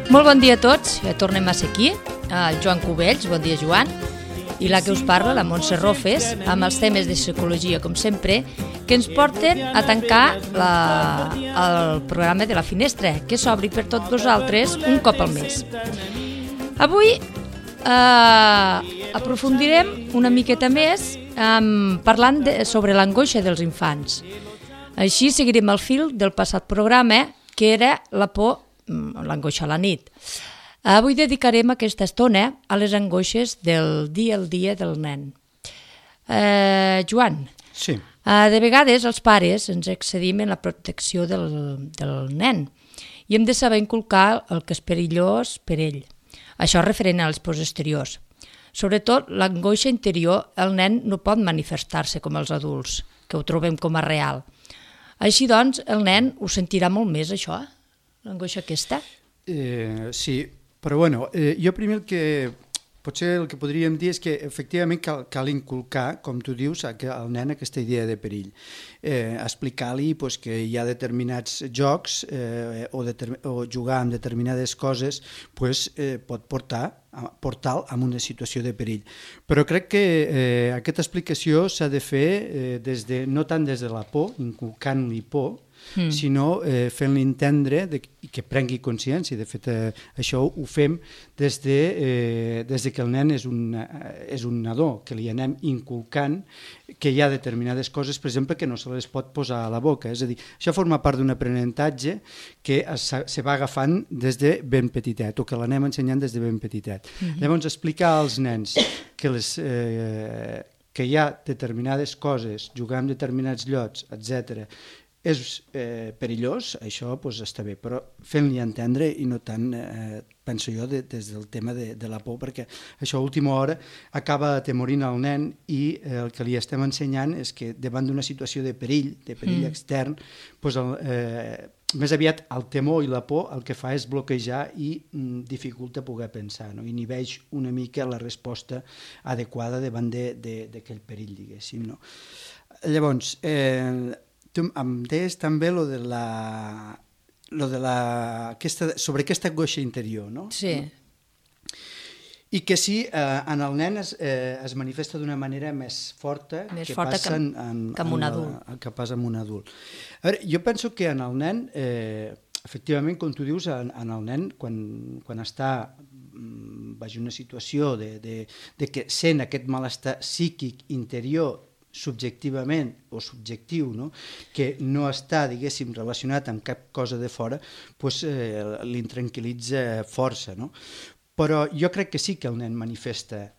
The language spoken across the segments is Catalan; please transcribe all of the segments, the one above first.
Molt bon dia a tots, ja tornem a ser aquí, el Joan Cubells, bon dia Joan, i la que us parla, la Montse Rofes, amb els temes de psicologia, com sempre, que ens porten a tancar el programa de la finestra, que s'obri per tots vosaltres un cop al mes. Avui aprofundirem una miqueta més parlant sobre l'angoixa dels infants. Així seguirem el fil del passat programa, que era la por, l'angoixa a la nit. Avui dedicarem aquesta estona a les angoixes del dia al dia del nen. Joan, sí. De vegades els pares ens excedim en la protecció del nen i hem de saber inculcar el que és perillós per ell. Això referent als pors exteriors. Sobretot, l'angoixa interior, el nen no pot manifestar-se com els adults, que ho trobem com a real. Així doncs, el nen ho sentirà molt més, això, l'angoixa aquesta? Sí, però bueno, jo primer potser el que podríem dir és que efectivament cal inculcar, com tu dius, al nen aquesta idea de perill. Explicar-li que hi ha determinats jocs o jugar amb determinades coses pot portar-lo a una situació de perill. Però crec que aquesta explicació s'ha de fer no tant des de la por, inculcant-li por, sinó fent-li entendre i que prengui consciència. De fet, això ho fem des que el nen és un nadó, que li anem inculcant que hi ha determinades coses, per exemple, que no se les pot posar a la boca. És a dir, això forma part d'un aprenentatge que se va agafant des de ben petitet, o que l'anem ensenyant des de ben petitet. Llavors, explicar als nens que hi ha determinades coses, jugar amb determinats llocs, etc., és perillós, això està bé, però fent-li entendre i no tant, penso jo, des del tema de la por, perquè això a última hora acaba atemorint el nen i el que li estem ensenyant és que davant d'una situació de perill extern, més aviat el temor i la por el que fa és bloquejar i dificulta poder pensar, no? Inhibeix una mica la resposta adequada davant d'aquell perill, diguéssim. No? Llavors, em deies també sobre aquesta angoixa interior, no? Sí. I que sí, en el nen es manifesta d'una manera més forta que passa amb un adult. A veure, jo penso que en el nen, efectivament, com tu dius, en el nen, quan està en una situació de que sent aquest malestar psíquic interior subjectivament o subjectiu, no? Que no està, diguéssim, relacionat amb cap cosa de fora, l'intranquil·litza força, no? Però jo crec que sí que el nen manifesta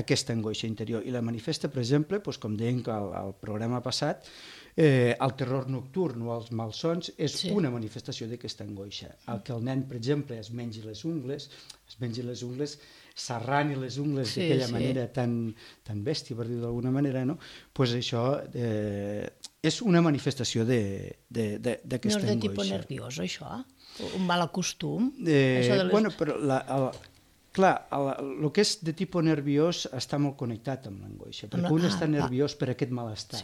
aquesta angoixa interior, i la manifesta, per exemple, com dèiem al programa passat, el terror nocturn o els malsons és una manifestació d'aquesta angoixa. El que el nen, per exemple, es mengi les ungles, s'arrani les ungles d'aquella manera tan bèstia, per dir-ho d'alguna manera, no? Això és una manifestació d'aquesta angoixa. No és de tipus nerviós, això? Un mal acostum? Bueno, però clar, el que és de tipus nerviós està molt connectat amb l'angoixa, perquè un està nerviós per aquest malestar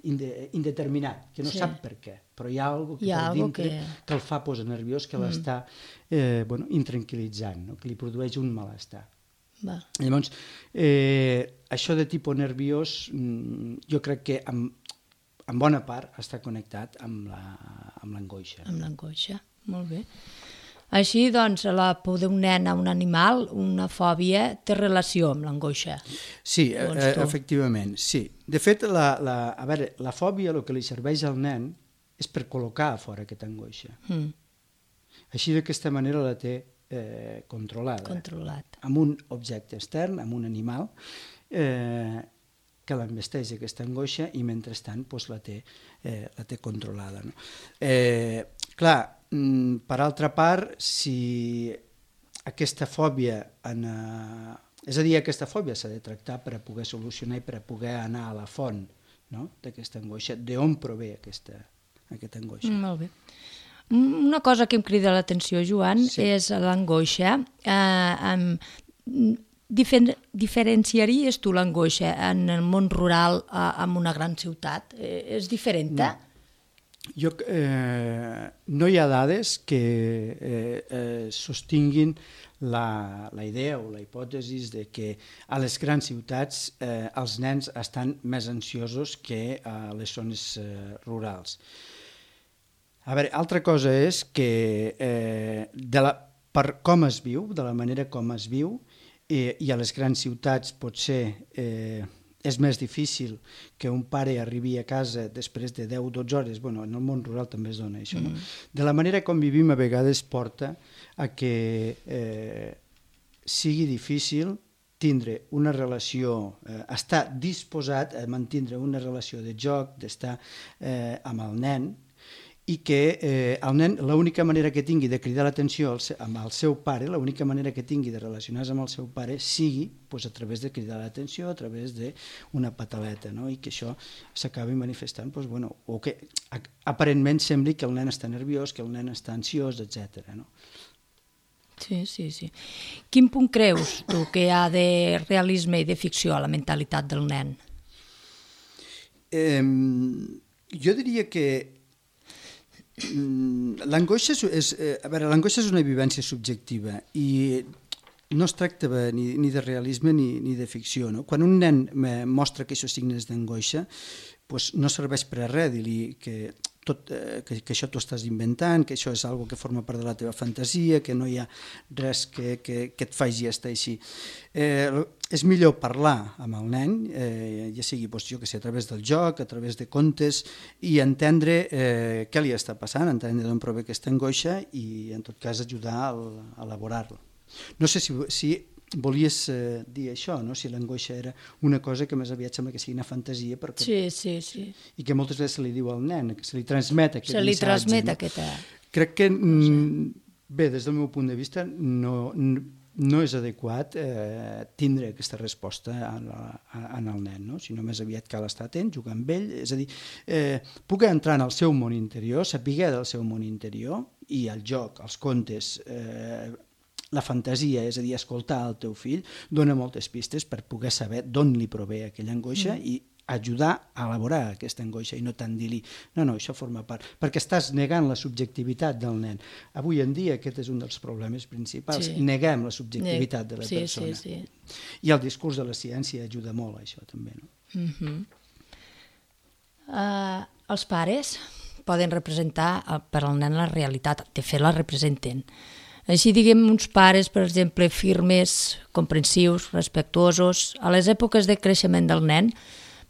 indeterminat, que no sap per què, però hi ha alguna cosa per dintre que el fa posar nerviós, que l'està intranquil·litzant, que li produeix un malestar. Llavors, això de tipus nerviós jo crec que en bona part està connectat amb l'angoixa. Amb l'angoixa, molt bé. Així, doncs, la por d'un nen a un animal, una fòbia, té relació amb l'angoixa. Sí, efectivament, sí. De fet, la fòbia, el que li serveix al nen, és per col·locar a fora aquesta angoixa. Així, d'aquesta manera, la té controlada. Amb un objecte extern, amb un animal, que l'envesteix aquesta angoixa i, mentrestant, la té controlada. Clar, per altra part, si aquesta fòbia, és a dir, aquesta fòbia s'ha de tractar per a poder solucionar i per a poder anar a la font d'aquesta angoixa, d'on prové aquesta angoixa. Molt bé. Una cosa que em crida l'atenció, Joan, és l'angoixa. Diferenciaries tu l'angoixa en el món rural amb una gran ciutat? És diferent? No hi ha dades que sostinguin la idea o la hipòtesi de que a les grans ciutats els nens estan més ansiosos que a les zones rurals. A veure, altra cosa és que per com es viu, de la manera com es viu, i a les grans ciutats potser és més difícil que un pare arribi a casa després de 10-12 hores, bueno, en el món rural també es dona això, no? De la manera com vivim a vegades porta a que sigui difícil tindre una relació, estar disposat a mantindre una relació de joc, d'estar amb el nen, i que el nen, l'única manera que tingui de cridar l'atenció amb el seu pare, l'única manera que tingui de relacionar-se amb el seu pare sigui a través de cridar l'atenció, a través d'una pataleta, no? I que això s'acabi manifestant, o que aparentment sembli que el nen està nerviós, que el nen està ansiós, etc. No? Sí. Quin punt creus tu que hi ha de realisme i de ficció a la mentalitat del nen? Jo diria que l'angoixa és una vivència subjectiva i no es tracta ni de realisme ni de ficció. No? Quan un nen mostra aquests signes d'angoixa, no serveix per a res dir-li que això t'ho estàs inventant, que això és una que forma part de la teva fantasia, que no hi ha res que et faci estar així. És millor parlar amb el nen, ja sigui a través del joc, a través de contes, i entendre què li està passant, entendre d'on prové aquesta angoixa i en tot cas ajudar a elaborar-la. No sé si volies dir això, no? Si l'angoixa era una cosa que més aviat sembla que sigui una fantasia sí. I que moltes vegades se li diu al nen, que se li transmet aquest missatge. Se li transmet aquesta... Crec que, bé, des del meu punt de vista, no és adequat tindre aquesta resposta en el nen, no? Sinó més aviat cal estar atent, jugar amb ell, és a dir, poder entrar en el seu món interior, saber del seu món interior, i el joc, els contes, la fantasia, és a dir, escoltar el teu fill, dona moltes pistes per poder saber d'on li prové aquella angoixa i ajudar a elaborar aquesta angoixa i no tant dir-li, no, això forma part, perquè estàs negant la subjectivitat del nen. Avui en dia aquest és un dels problemes principals, neguem la subjectivitat de la persona. Sí. I el discurs de la ciència ajuda molt a això també. No? Els pares poden representar per al nen la realitat, de fet la representen. Així diguem uns pares, per exemple, firmes, comprensius, respectuosos, a les èpoques de creixement del nen,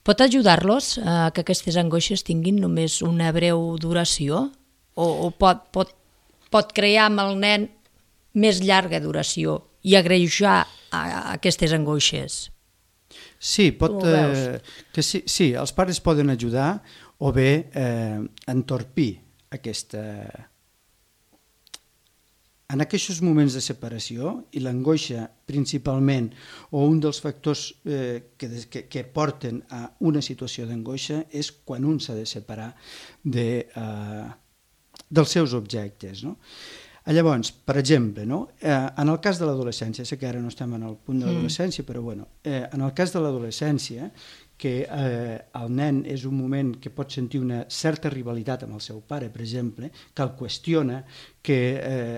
pot ajudar-los a que aquestes angoixes tinguin només una breu duració? O pot crear amb el nen més llarga duració i agreujar aquestes angoixes? Sí, sí, els pares poden ajudar o bé entorpir aquesta... En aquests moments de separació, i l'angoixa principalment, o un dels factors que porten a una situació d'angoixa, és quan un s'ha de separar dels seus objectes. No? Llavors, per exemple, en el cas de l'adolescència, sé que ara no estem en el punt de l'adolescència, però en el cas de l'adolescència, que el nen és un moment que pot sentir una certa rivalitat amb el seu pare, per exemple, que el qüestiona, que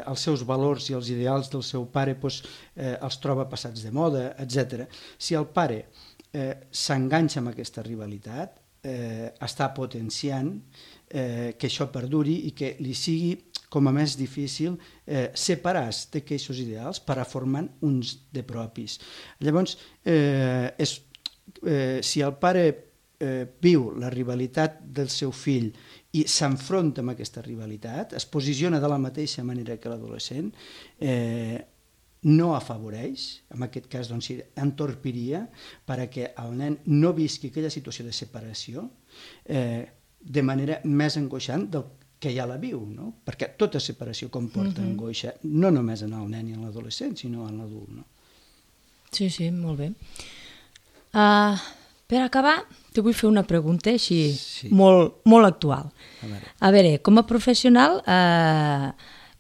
els seus valors i els ideals del seu pare els troba passats de moda, etc. Si el pare s'enganxa amb aquesta rivalitat, està potenciant que això perduri i que li sigui com a més difícil separar-se d'aquests ideals per a formar uns de propis. Llavors, si el pare viu la rivalitat del seu fill i s'enfronta amb aquesta rivalitat, es posiciona de la mateixa manera que l'adolescent, no afavoreix, en aquest cas doncs, entorpiria perquè el nen no visqui aquella situació de separació de manera més angoixant del que ja la viu, no? Perquè tota separació comporta angoixa, no només en el nen i en l'adolescent, sinó en l'adult. No? Sí, molt bé. Per acabar, te vull fer una pregunta així molt actual. A veure, com a professional,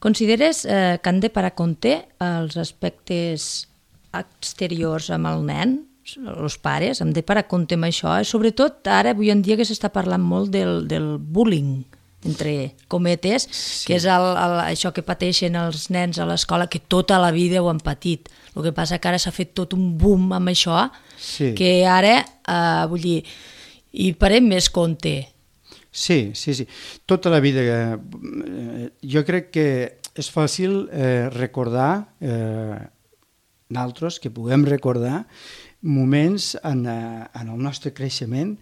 consideres que han de parar compte els aspectes exteriors amb el nen, els pares, hem de parar compte amb això, sobretot ara, avui en dia, que s'està parlant molt del bullying, entre cometes, que és això que pateixen els nens a l'escola, que tota la vida ho han patit. El que passa que ara s'ha fet tot un boom amb això, que ara, vull dir, hi parem més compte. Sí. Tota la vida. Jo crec que és fàcil recordar, nosaltres, que puguem recordar moments en el nostre creixement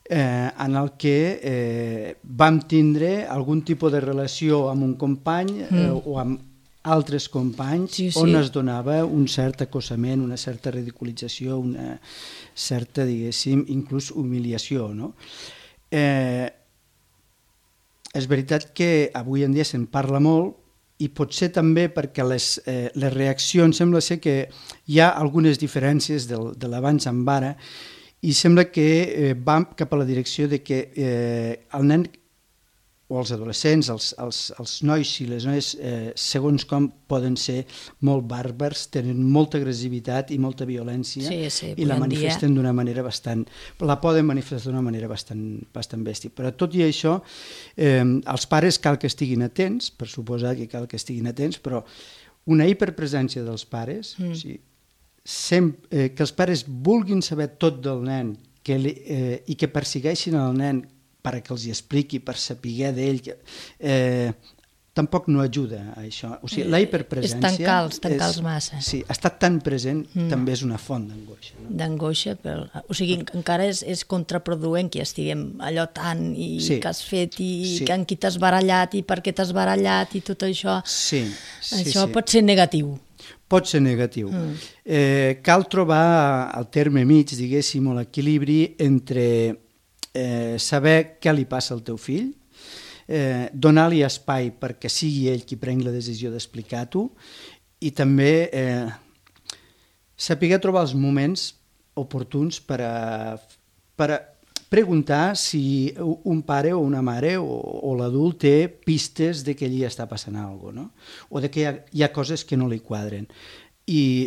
en el que vam tindre algun tipus de relació amb un company o amb altres companys on es donava un cert acossament, una certa ridiculització, una certa, diguéssim, inclús humiliació, no? És veritat que avui en dia se'n parla molt i potser també perquè les reaccions, sembla ser que hi ha algunes diferències de l'abans amb ara i sembla que vam cap a la direcció de que el nen o els adolescents, els nois i les noies, segons com poden ser molt bàrbars, tenen molta agressivitat i molta violència i la manifesten d'una manera la poden manifestar d'una manera bastant bèstia. Però tot i això, els pares cal que estiguin atents, per suposar que cal que estiguin atents, però una hiperpresència dels pares, que els pares vulguin saber tot del nen i que persegueixin el nen perquè els hi expliqui, per saber d'ell, tampoc no ajuda a això. O sigui, la hiperpresència... És tancar-los massa. Sí, estar tan present també és una font d'angoixa. D'angoixa, o sigui, encara és contraproduent que estiguem allò tant i que has fet i que en qui t'has barallat i per què t'has barallat i tot això. Sí. Això pot ser negatiu. Pot ser negatiu. Cal trobar el terme mig, diguéssim, o l'equilibri entre saber què li passa al teu fill, donar-li espai perquè sigui ell qui prengui la decisió d'explicar-t'ho i també saber trobar els moments oportuns per preguntar si un pare o una mare o l'adult té pistes de que allí està passant alguna cosa, no? O de que hi ha coses que no li quadren. I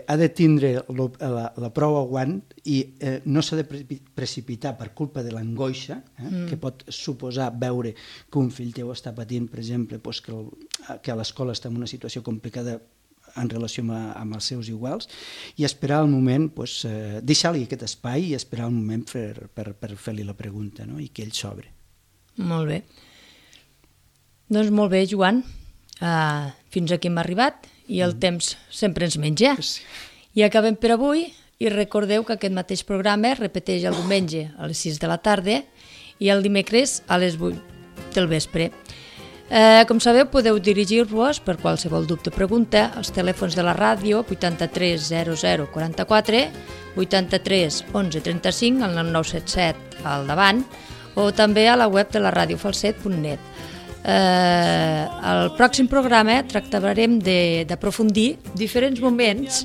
ha de tindre la prou aguant i no s'ha de precipitar per culpa de l'angoixa que pot suposar veure que un fill teu està patint, per exemple, que a l'escola està en una situació complicada en relació amb els seus iguals, i esperar el moment, deixar-li aquest espai i esperar el moment per fer-li la pregunta i que ell s'obre. Molt bé. Doncs molt bé, Joan. Fins aquí hem arribat i el temps sempre ens menja. I acabem per avui i recordeu que aquest mateix programa es repeteix el diumenge a les 6 de la tarda i el dimecres a les 8 del vespre. Com sabeu, podeu dirigir-vos per qualsevol dubte o pregunta als telèfons de la ràdio 83 00 44, 83 11 35, el 977 al davant, o també a la web de la radiofalset.net. Al pròxim programa tractarem d'aprofundir diferents moments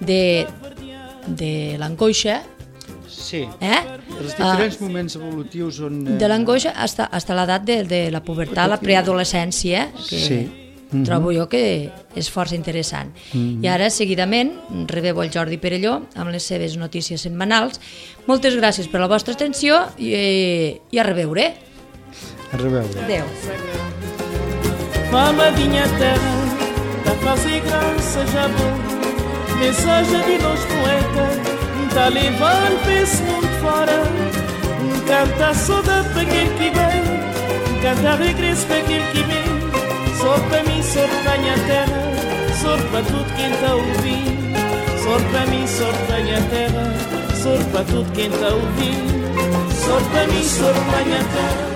de l'angoixa. Sí, els diferents moments evolutius on... De l'angoixa fins a l'edat de la pubertat, la preadolescència, que trobo jo que és força interessant. I ara, seguidament, rebeu el Jordi Perelló amb les seves notícies setmanals. Moltes gràcies per la vostra atenció i a reveure. A reveure. Adéu. Mamadinha terra, da fase graça já bom, mensagem de nós poetas, tá levando para esse mundo fora, canta saudade para aquele que vem, canta regresso para aquele que vem, só para mim, só para minha terra, só para tudo quem tá ouvindo, só para mim, só para minha terra, só para tudo quem tá ouvindo, só para mim, só para minha terra.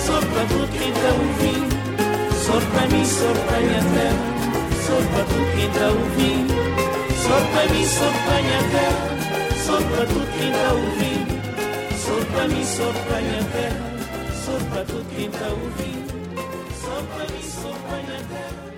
Só para tudo quem está ouvindo, só para mim, só para minha terra, só para tudo quem está ouvindo, só para mim, só para minha terra, só para tudo quem está ouvindo, só para mim, só para minha terra, só para tudo quem está ouvindo, só para mim, só para minha terra.